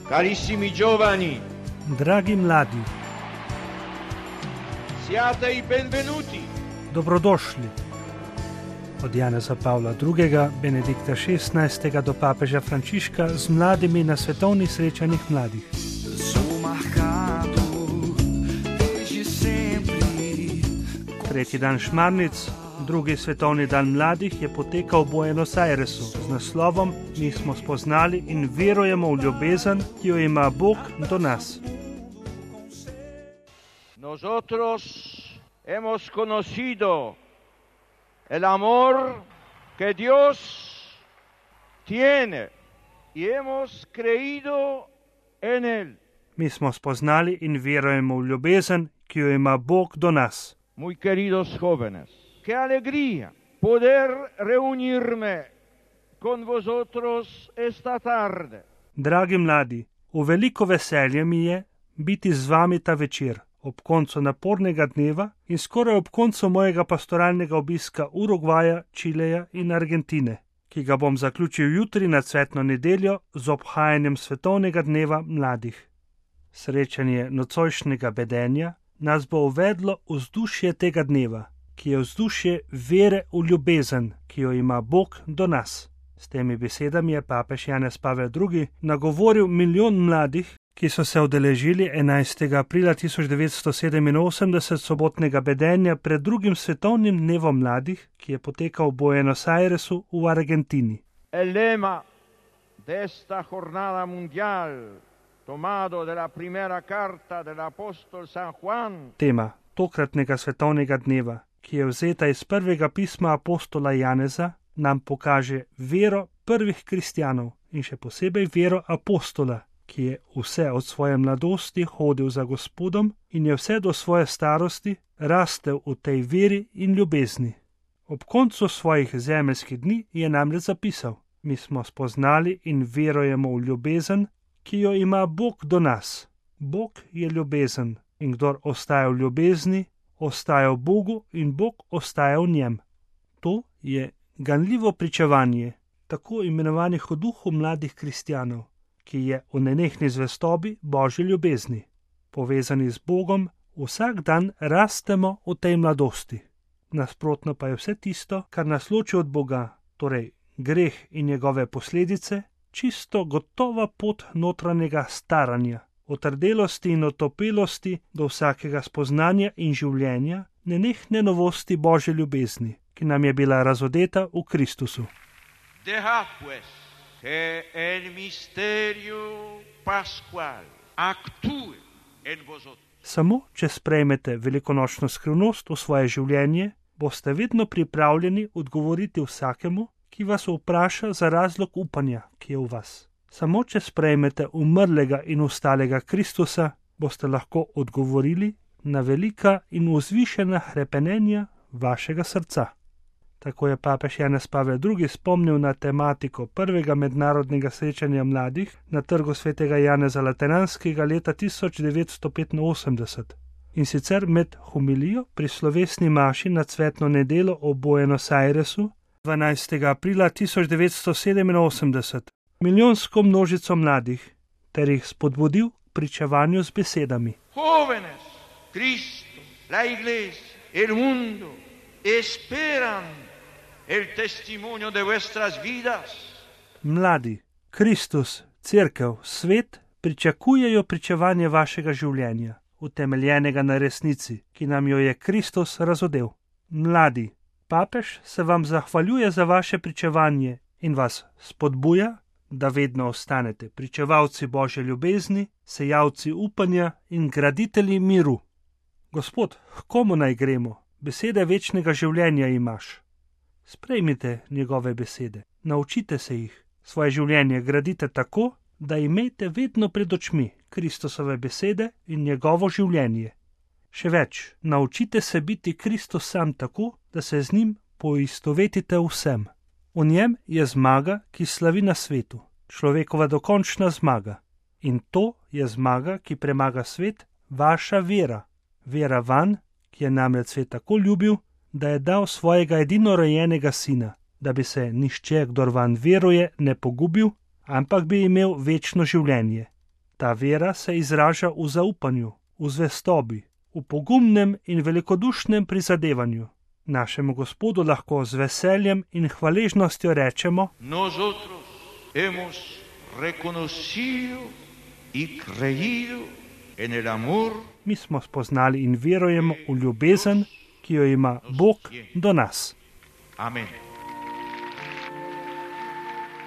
Carissimi giovani, Dragi mladi, siate i benvenuti. dobrodošli. Od Janeza Pavla II., Benedikta XVI. Do papeža Frančiška z mladimi na svetovnih srečanjih mladih. Tretji dan Šmarnic, drugi svetovni dan mladih, je potekal v Buenos Airesu z naslovom Mi smo spoznali in verujemo v ljubezen, ki jo ima Bog do nas. Nosotros hemos conocido el amor que Dios tiene y hemos creído en él. Mi smo spoznali in verujemo v ljubezen, ki jo ima Bog do nas. Muy queridos jóvenes, qué alegría poder reunirme con vosotros esta tarde. Dragi mladi, v veliko veselje mi je biti z vami ta večer, ob koncu napornega dneva in skoraj ob koncu mojega pastoralnega obiska Urugvaja, Čileja in Argentine, ki ga bom zaključil jutri na cvetno nedeljo z obhajanjem svetovnega dneva mladih. Srečanje nocojšnjega bedenja nas bo uvedlo v vzdušje tega dneva, ki je vzdušje vere v ljubezen, ki jo ima Bog do nas. S temi besedami je papež Janez Pavel II. Nagovoril milijon mladih, ki so se udeležili 11. aprila 1987 sobotnega bedenja pred drugim svetovnim dnevom mladih, ki je potekal v Buenos Airesu v Argentini. El lema de esta jornada mundial, tomado de la primera carta del apóstol San Juan. Tema tokratnega svetovnega dneva, ki je vzeta iz prvega pisma apostola Janeza, nam pokaže vero prvih kristjanov in še posebej vero apostola, ki je vse od svoje mladosti hodil za Gospodom in je vse do svoje starosti rastel v tej veri in ljubezni. Ob koncu svojih zemeljskih dni je namreč zapisal: Mi smo spoznali in verujemo v ljubezen, ki jo ima Bog do nas. Bog je ljubezen in kdor ostaja v ljubezni, ostaja v Bogu in Bog ostaja v njem. To je ganljivo pričevanje tako imenovanih v duhu mladih kristjanov, ki je v nenehni zvestobi Božji ljubezni. Povezani z Bogom vsak dan rastemo v tej mladosti. Nasprotno pa je vse tisto, kar nas loči od Boga, torej greh in njegove posledice, čisto gotova pot notranjega staranja, otrdelosti in otopelosti do vsakega spoznanja in življenja, nenehne novosti Božje ljubezni, ki nam je bila razodeta v Kristusu. Dejad pues que el misterio pascual actúe en vosotros. Samo, če sprejmete velikonočno skrivnost v svoje življenje, boste vedno pripravljeni odgovoriti vsakemu, ki vas vpraša za razlog upanja, ki je v vas. Samo, če sprejmete umrlega in ustalega Kristusa, boste lahko odgovorili na velika in vzvišena hrepenenja vašega srca. Tako je papež Janez Pavel II. Spomnil na tematiko prvega mednarodnega srečanja mladih na trgu svetega Janeza Lateranskega leta 1985. In sicer med homilijo pri slovesni maši na cvetno nedelo v Buenos Airesu 12. aprila 1987 milijonsko množico mladih ter jih spodbudil k pričevanju z besedami: Jóvenes, Cristo, la Iglesia, el mundo esperan el testimonio de vuestras vidas. Mladi, Kristus, Cerkev, svet pričakujejo pričevanje vašega življenja, utemeljenega na resnici, ki nam jo je Kristus razodel. Mladi, papež se vam zahvaljuje za vaše pričevanje in vas spodbuja, da vedno ostanete pričevalci Božje ljubezni, sejalci upanja in graditelji miru. Gospod, h komu naj gremo? Besede večnega življenja imaš. Sprejmite njegove besede, naučite se jih, svoje življenje gradite tako, da imejte vedno pred očmi Kristusove besede in njegovo življenje. Še več, naučite se biti Kristus sam tako, da se z njim poistovetite vsem. V njem je zmaga, ki slavi na svetu, človekova dokončna zmaga. In to je zmaga, ki premaga svet, vaša vera. Vera vanj, ki je namreč svet tako ljubil, da je dal svojega edinorojenega sina, da bi se nihče, kdor vanj veruje, ne pogubil, ampak bi imel večno življenje. Ta vera se izraža v zaupanju, v zvestobi, v pogumnem in velikodušnem prizadevanju. Našemu Gospodu lahko z veseljem in hvaležnostjo rečemo: Nosotros hemos reconocido y creído en el amor. Mi smo spoznali in verujemo v ljubezen, ki jo ima Bog do nas. Amen.